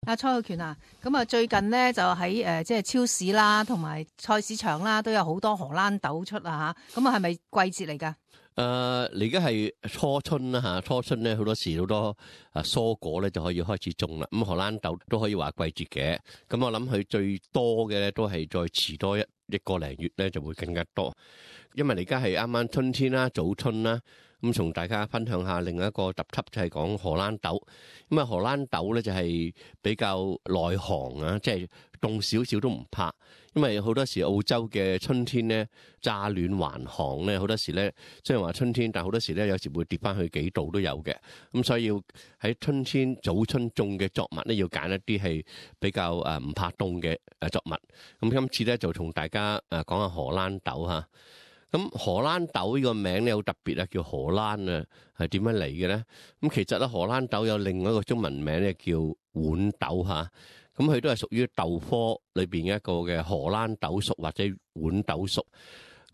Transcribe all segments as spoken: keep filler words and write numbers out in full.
阿蔡浩權啊，咁啊最近呢，就喺誒即係超市啦，同埋菜市場啦，都有好多荷蘭豆出啊嚇，咁啊係咪季節嚟㗎？誒，而家係初春啦嚇，初春咧好多時好多啊蔬果咧就可以開始種啦。咁荷蘭豆都可以話季節嘅，咁我諗佢最多嘅咧都係再遲多一一個零月咧就會更加多，因為而家係啱啱春天啦，早春啦。咁同大家分享下另一個特輯就係講荷蘭豆。咁啊荷蘭豆咧就係比較耐寒啊，即係凍少少都唔怕。因為好多時澳洲嘅春天咧乍暖還寒咧，好多時咧雖然話春天，但好多時咧有時會跌翻去幾度都有嘅。咁所以要喺春天早春種嘅作物咧，要揀一啲係比較誒唔怕凍嘅誒作物。咁今次咧就同大家誒講下荷蘭豆嚇。咁荷蘭豆呢個名咧好特別啊，叫荷蘭啊，係點樣嚟嘅咧？咁其實咧荷蘭豆有另外一個中文名咧叫豌豆嚇，咁佢都係屬於豆科裏邊一個嘅荷蘭豆屬或者豌豆屬。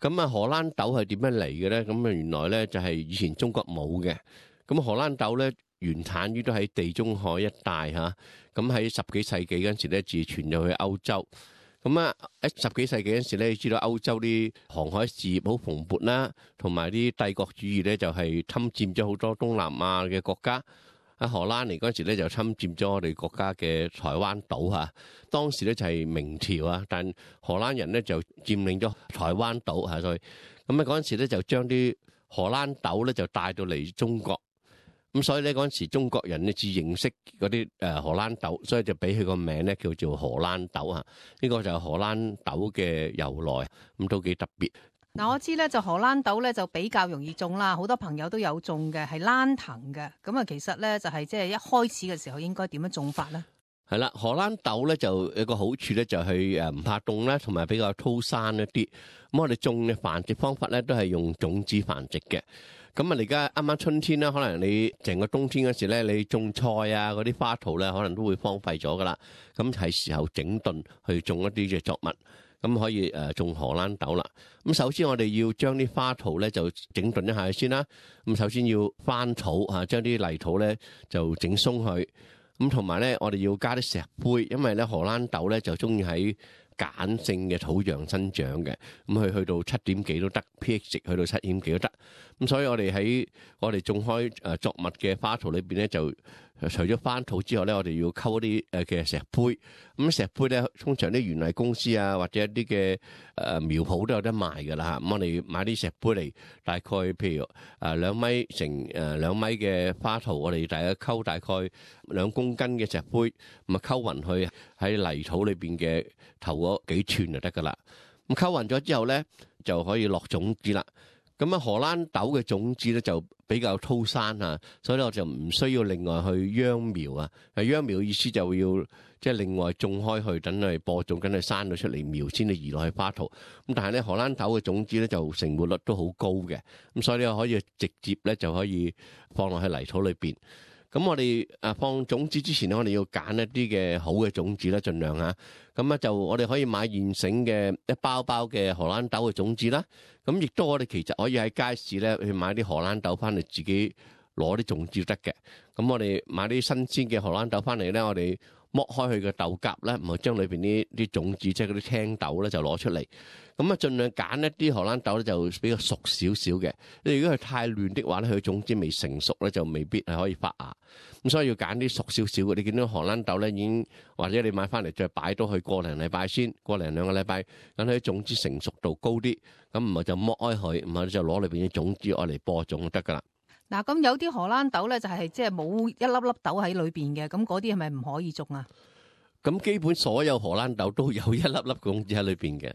咁啊荷蘭豆係點樣嚟嘅咧？咁啊原來咧就係以前中國冇嘅。咁荷蘭豆咧原產於都喺地中海一帶嚇，咁喺十幾世紀嗰陣時咧自傳咗去歐洲。咁啊，喺十幾世紀嗰陣時咧，你知道歐洲啲航海事業好蓬勃啦，同埋啲帝國主義咧就係侵佔咗好多東南亞嘅國家。喺荷蘭嚟嗰陣時咧就侵佔咗我哋國家嘅台灣島嚇。當時咧就係明朝啊，但荷蘭人咧就佔領咗台灣島嚇，所以咁啊嗰陣時咧就將啲荷蘭豆咧就帶到嚟中國。咁所以咧嗰陣時中國人咧至認識嗰啲誒荷蘭豆，所以就俾佢個名咧叫做荷蘭豆啊。呢個就係荷蘭豆嘅由來，咁都幾特別。嗱，我知咧就荷蘭豆咧就比較容易種啦，好多朋友都有種嘅，係蘭藤嘅。咁啊，其實咧就係即係一開始嘅時候應該點樣種法咧？係啦，荷蘭豆咧就有個好處咧，就係誒唔怕凍啦，同埋比較粗生一啲。咁我哋種嘅繁殖方法咧都係用種子繁殖嘅。咁啊，而家啱啱春天啦，可能你成個冬天嗰時咧，你種菜啊嗰啲花圃咧，可能都會荒廢咗噶啦。咁係時候整頓去種一啲嘅作物，咁可以誒種荷蘭豆啦。咁首先我哋要將啲花圃咧就整頓一下先啦。咁首先要翻土嚇，將啲泥土咧就整鬆佢。咁同埋咧，我哋要加啲石灰，因為咧荷蘭豆咧就中意喺鹼性嘅土壤生長嘅，咁佢去到七點幾都得 ，pH 值去到七點幾都得。咁所以我哋喺我哋種開誒作物嘅花圃裏邊咧，就除咗翻土之後咧，我哋要溝啲誒嘅石灰。咁石灰咧，通常啲園藝公司啊，或者一啲嘅誒苗圃都有得賣㗎啦。咁我哋買啲石灰嚟，大概譬如誒兩米乘誒兩米嘅花圃，我哋大概溝大概兩公斤嘅石灰，咁啊溝勻去喺泥土裏邊嘅頭嗰幾寸就得㗎啦。咁溝勻咗之後咧，就可以落種子啦。咁啊，荷蘭豆嘅種子咧就比較粗生啊，所以咧我就唔需要另外去秧苗啊。係秧苗意思就要即係另外種開去，等佢播種，等佢生到出嚟苗先至移落去花圃。咁但係咧荷蘭豆嘅種子咧就成活率都好高嘅，咁所以咧可以直接咧就可以放落去泥土裏邊。咁我哋誒放種子之前咧，我哋要揀一啲嘅好嘅種子啦，盡量嚇。咁咧就我哋可以買現成嘅一包包嘅荷蘭豆嘅種子啦。咁亦都我哋其實可以喺街市咧去買啲荷蘭豆翻嚟，自己攞啲種子得嘅。咁我哋買啲新鮮嘅荷蘭豆翻嚟咧，我哋剝開佢嘅豆莢咧，唔係將裏邊啲啲種子，即係嗰啲青豆咧，就攞出嚟。咁啊，盡量揀一啲荷蘭豆咧，就比較熟少少嘅。你如果係太嫩的話咧，佢種子未成熟咧，就未必係可以發芽。咁所以要揀啲熟少少嘅。你見到荷蘭豆咧，已經或者你買翻嚟再擺到去過零禮拜先，過零兩個禮拜，等佢種子成熟度高啲。咁唔係就剝開佢，唔係就攞裏邊啲種子愛嚟播種就得噶啦。嗱，咁有啲荷蘭豆咧就係即係冇一粒粒豆喺裏邊嘅，咁嗰啲係咪唔可以種啊？咁基本所有荷蘭豆都有一粒粒種子喺裏邊嘅。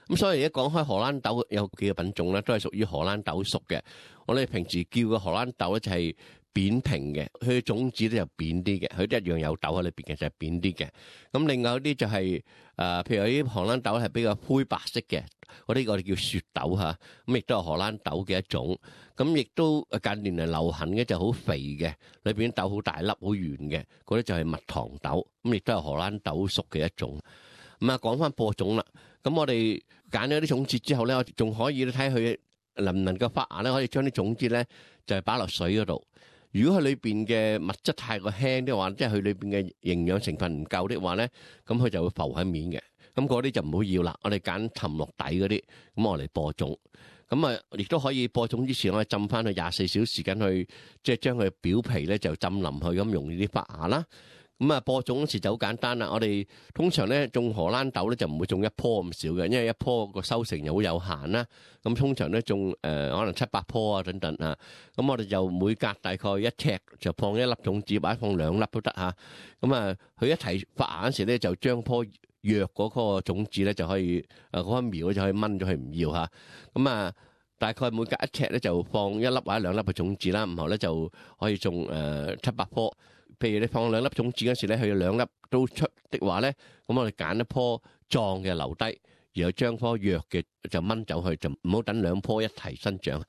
咁所以而家講開荷蘭豆有幾個品種咧，都係屬於荷蘭豆屬嘅。我哋平時叫嘅荷蘭豆咧就係扁平嘅，佢嘅種子咧就扁啲嘅，佢都一樣有豆喺裏邊嘅，就係扁啲嘅。咁另外有啲就係誒，譬如有啲荷蘭豆係比較灰白色嘅，嗰啲我哋叫雪豆嚇，咁亦都係荷蘭豆嘅一種。咁亦都近年嚟流行嘅就好肥嘅，裏邊豆好大粒好圓嘅，嗰啲就係蜜糖豆，咁亦都係荷蘭豆屬嘅一種。咁啊，講翻播種啦。咁我哋揀咗啲種子之後咧，我仲可以睇佢能唔能夠發芽咧，可以將啲種子咧就係擺落水嗰度。如果佢裏邊嘅物質太過輕的話，即係佢裏邊嘅營養成分唔夠的話咧，咁佢就會浮喺面嘅。咁嗰啲就唔好要啦。我哋揀沉落底嗰啲，咁我嚟播種。咁啊，亦都可以播種之前，我哋浸翻去廿四小時間去，即係將佢表皮咧就浸腍去，咁容易啲發芽啦。咁啊，播種嗰時就好簡單啦。我哋通常咧種荷蘭豆咧就唔會種一棵咁少嘅，因為一棵個收成又好有限啦。咁通常咧種誒可能七八棵啊等等啊。咁我哋就每隔大概一尺就放一粒種子，或者放兩粒都得嚇。咁啊，佢一齊發芽嗰時咧就將棵弱嗰個種子咧就可以誒嗰一苗就可以掹咗佢唔要嚇。咁啊，大概每隔一尺咧就放一粒或者兩粒嘅種子啦，然後咧就可以種誒七八棵。譬如你放兩粒種子嗰時咧，佢有兩粒都出的話咧，咁我哋揀一棵壯嘅留低，然後將棵弱嘅就掹走去，就唔好等兩棵一齊生長。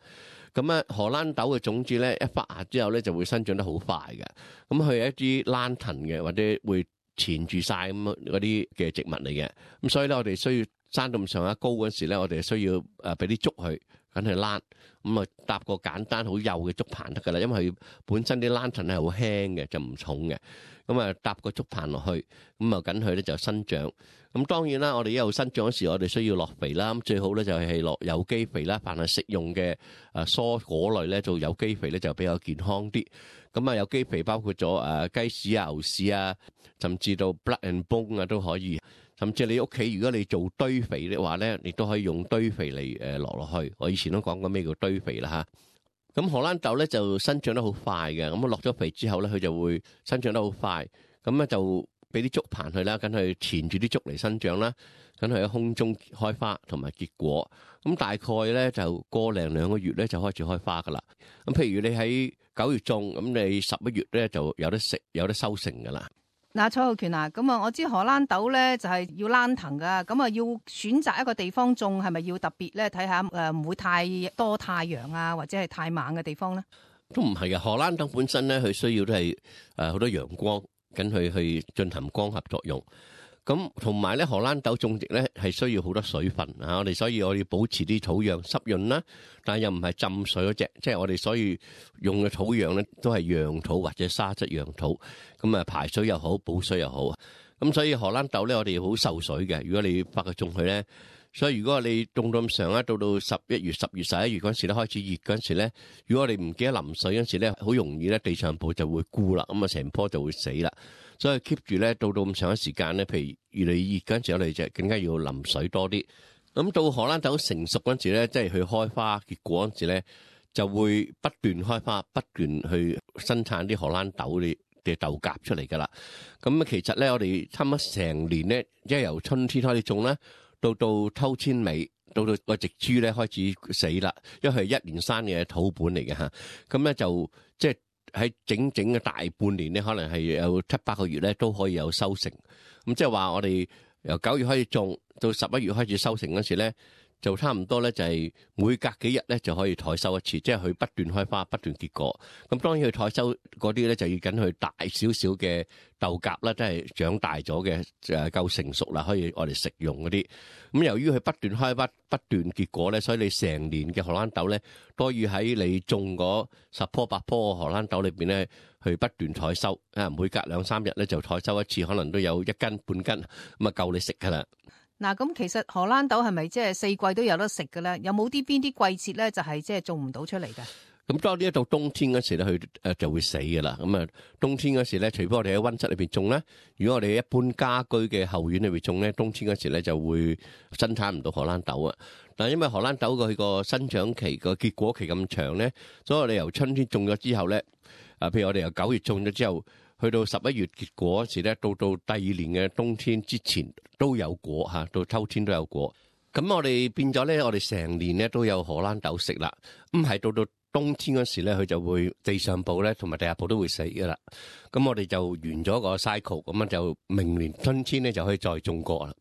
咁啊，荷蘭豆嘅種子咧一發芽之後咧就會生長得好快嘅。咁佢係一啲蘭藤嘅，或者會纏住晒咁嗰啲嘅植物嚟嘅。咁所以咧，我哋需要生到咁上下高嗰時咧，我哋需要誒俾啲竹佢。緊去攣，咁啊搭個簡單好幼嘅竹棚得噶啦，因為佢本身啲蘭藤係好輕嘅，就唔重嘅。咁啊搭個竹棚落去，咁啊緊佢咧就生長。咁當然啦，我哋一路生長嗰時，我哋需要落肥啦。咁最好咧就係落有機肥啦。凡係食用嘅誒蔬果類咧，做有機肥咧就比較健康啲。咁啊有機肥包括咗誒雞屎啊、牛屎啊，甚至到 blood and bone 啊都可以。甚至你屋企如果你做堆肥嘅話咧，你都可以用堆肥嚟誒落落去。我以前都講過咩叫堆肥啦嚇。咁荷蘭豆咧就生長得好快嘅，咁落咗肥之後咧，佢就會生長得好快。咁咧就俾啲竹棚佢啦，跟佢纏住啲竹嚟生長啦，跟佢喺空中開花同埋結果。咁大概咧就個零兩個月咧就開始開花噶啦。咁譬如你喺九月種，咁你十一月咧就有得食，有得收成噶啦。嗱，蔡浩權啊，咁啊，我知荷蘭豆咧就係要蘭藤噶，咁啊要選擇一個地方種，係咪要特別咧睇下誒唔會太多太陽啊，或者係太猛嘅地方咧？都唔係嘅，荷蘭豆本身咧佢需要都係誒好多陽光，跟佢去進行光合作用。咁同埋咧，荷蘭豆種植咧係需要好多水分啊！我哋所以我要保持啲土壤濕潤啦，但係又唔係浸水嗰隻，即係我哋所以用嘅土壤咧都係壤土或者沙質壤土，咁啊排水又好，補水又好。咁所以荷蘭豆咧，我哋好受水嘅。如果你發佢種佢咧，所以如果你種到咁上咧，到到十一月、十月、十一月嗰陣時咧開始熱嗰陣時咧，如果我哋唔記得淋水嗰陣時咧，好容易咧地上部就會枯啦，咁啊成棵就會死啦。所以 keep 住咧，到到咁長嘅時間咧，譬如越嚟越熱嗰陣時，我哋就更加要淋水多啲。咁到荷蘭豆成熟嗰陣時咧，即係佢開花結果嗰陣時咧，就會不斷開花，不斷去生產啲荷蘭豆啲嘅豆莢出嚟噶啦。咁其實咧，我哋差唔多成年咧，即係由春天開始種咧，到到秋天尾，到到個植株咧開始死啦，因為係一年生嘅土本嚟嘅嚇。咁咧就即係。喺整整嘅大半年咧，可能係有七八個月咧，都可以有收成。咁即係話我哋由九月開始種，到十一月開始收成嗰時咧，就差唔多咧，就係每隔幾日咧就可以採收一次，即係佢不斷開花、不斷結果。咁當然佢採收嗰啲咧，就要緊佢大少少嘅豆莢啦，即係長大咗嘅誒夠成熟啦，可以我哋食用嗰啲。咁由於佢不斷開花、不斷結果咧，所以你成年嘅荷蘭豆咧，都要喺你種嗰十棵八棵荷蘭豆裏邊咧，去不斷採收。啊，每隔兩三日咧就採收一次，可能都有一斤半斤，咁啊夠你食噶啦。嗱，咁其實荷蘭豆係咪即係四季都有得食嘅咧？有冇啲邊啲季節咧就係即係種唔到出嚟嘅？咁當呢一到冬天嗰時咧，佢誒就會死嘅啦。咁啊，冬天嗰時咧，除非我哋喺溫室裏邊種咧，如果我哋喺一般家居嘅後院裏邊種咧，冬天嗰時咧就會生產唔到荷蘭豆啊。但係因為荷蘭豆佢個生長期個結果期咁長咧，所以我哋由春天種咗之後咧，啊，譬如我哋由九月種咗之後，去到十一月結果嗰時咧，到到第二年嘅冬天之前都有果嚇，到秋天都有果。咁我哋變咗咧，我哋成年咧都有荷蘭豆食啦。咁係到到冬天嗰時咧，佢就會地上部咧同埋地下部都會死噶啦。咁我哋就完咗個 cycle，咁樣就明年春天咧就可以再種過啦。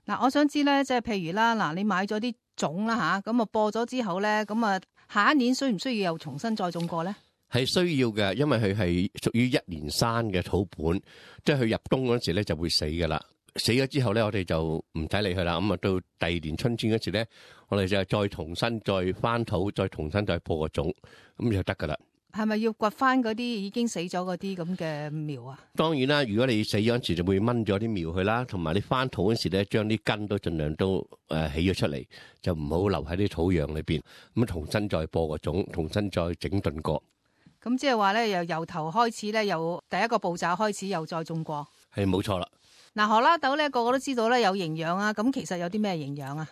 嗱，我想知咧，即係譬如啦，嗱，你買咗啲種啦吓，咁啊播咗之後咧，咁啊下一年需唔需要又重新再種過咧？係需要嘅，因為佢係屬於一年生嘅土本，即係佢入冬嗰時咧就會死噶啦。死咗之後咧，我哋就唔使理佢啦。咁啊，到第二年春天嗰時咧，我哋就再重新再翻土，再重新再播個種，咁就得噶啦。係咪要掘翻嗰啲已經死咗嗰啲咁嘅苗啊？當然啦，如果你死咗嗰時就會掹咗啲苗去啦，同埋你翻土嗰時咧，將啲根都盡量都誒起咗出嚟，就唔好留喺啲土壤裏邊，咁重新再播個種，重新再整頓過。咁即係話咧，由由頭開始咧，由第一個步驟開始，又再種過。係冇錯啦。嗱，荷蘭豆咧，個個都知道咧有營養啊，咁其實有啲咩營養啊？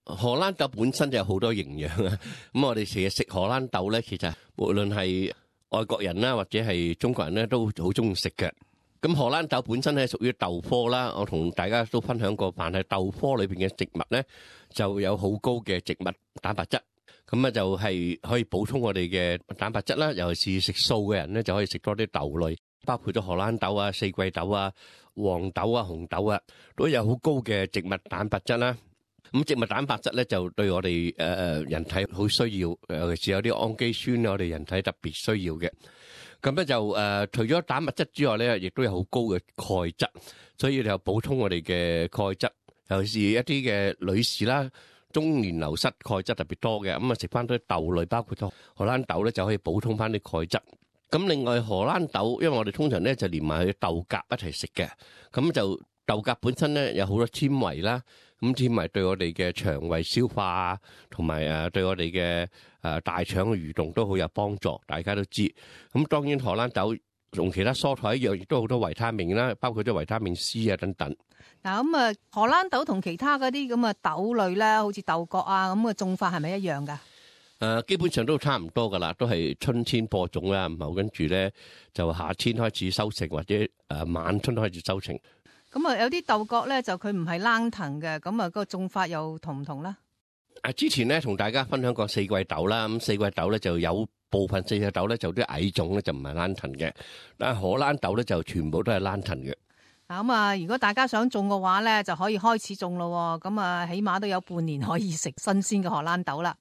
荷蘭豆本身就有好多營養啊，咁我哋成日食荷蘭豆咧，其實無論係外國人啦，或者係中國人咧，都好中意食嘅。咁荷蘭豆本身係屬於豆科啦，我同大家都分享過，凡係豆科裏邊嘅植物咧，就有好高嘅植物蛋白質，咁啊就係可以補充我哋嘅蛋白質啦。尤其是食素嘅人咧，就可以食多啲豆類，包括咗荷蘭豆啊、四季豆啊、黃豆啊、紅豆啊，都有好高嘅植物蛋白質啦。咁植物蛋白質咧就對我哋誒誒人體好需要，尤其是有啲氨基酸，我哋人體特別需要嘅。咁咧就誒除咗蛋白質之外咧，亦都有好高嘅鈣質，所以就補充我哋嘅鈣質。尤其是一啲嘅女士啦，中年流失鈣質特別多嘅，咁啊食翻啲豆類，包括咗荷蘭豆咧，就可以補充翻啲鈣質。咁另外荷蘭豆，因為我哋通常咧就連埋佢豆莢一齊食嘅，咁就豆莢本身咧有好多纖維啦。咁纖維對我哋嘅腸胃消化啊，同埋誒對我哋嘅誒大腸嘅蠕動都好有幫助，大家都知。咁當然荷蘭豆同其他蔬菜一樣，亦都好多維他命啦，包括咗維他命 C 啊等等。嗱咁啊，荷蘭豆同其他嗰啲咁嘅豆類咧，好似豆角啊咁嘅種法係咪一樣㗎？誒，基本上都差唔多噶啦，都係春天播種啦，然後跟住咧就夏天開始收成，或者誒晚春開始收成。咁啊，有啲豆角咧就佢唔係冷藤嘅，咁啊個種法又同唔同咧？啊，之前咧同大家分享過四季豆啦，咁四季豆咧就有部分四季豆咧就啲矮種咧就唔係冷藤嘅，但係荷蘭豆咧就全部都係冷藤嘅。嗱咁啊，如果大家想種嘅話咧，就可以開始種咯，咁啊起碼都有半年可以食新鮮嘅荷蘭豆啦。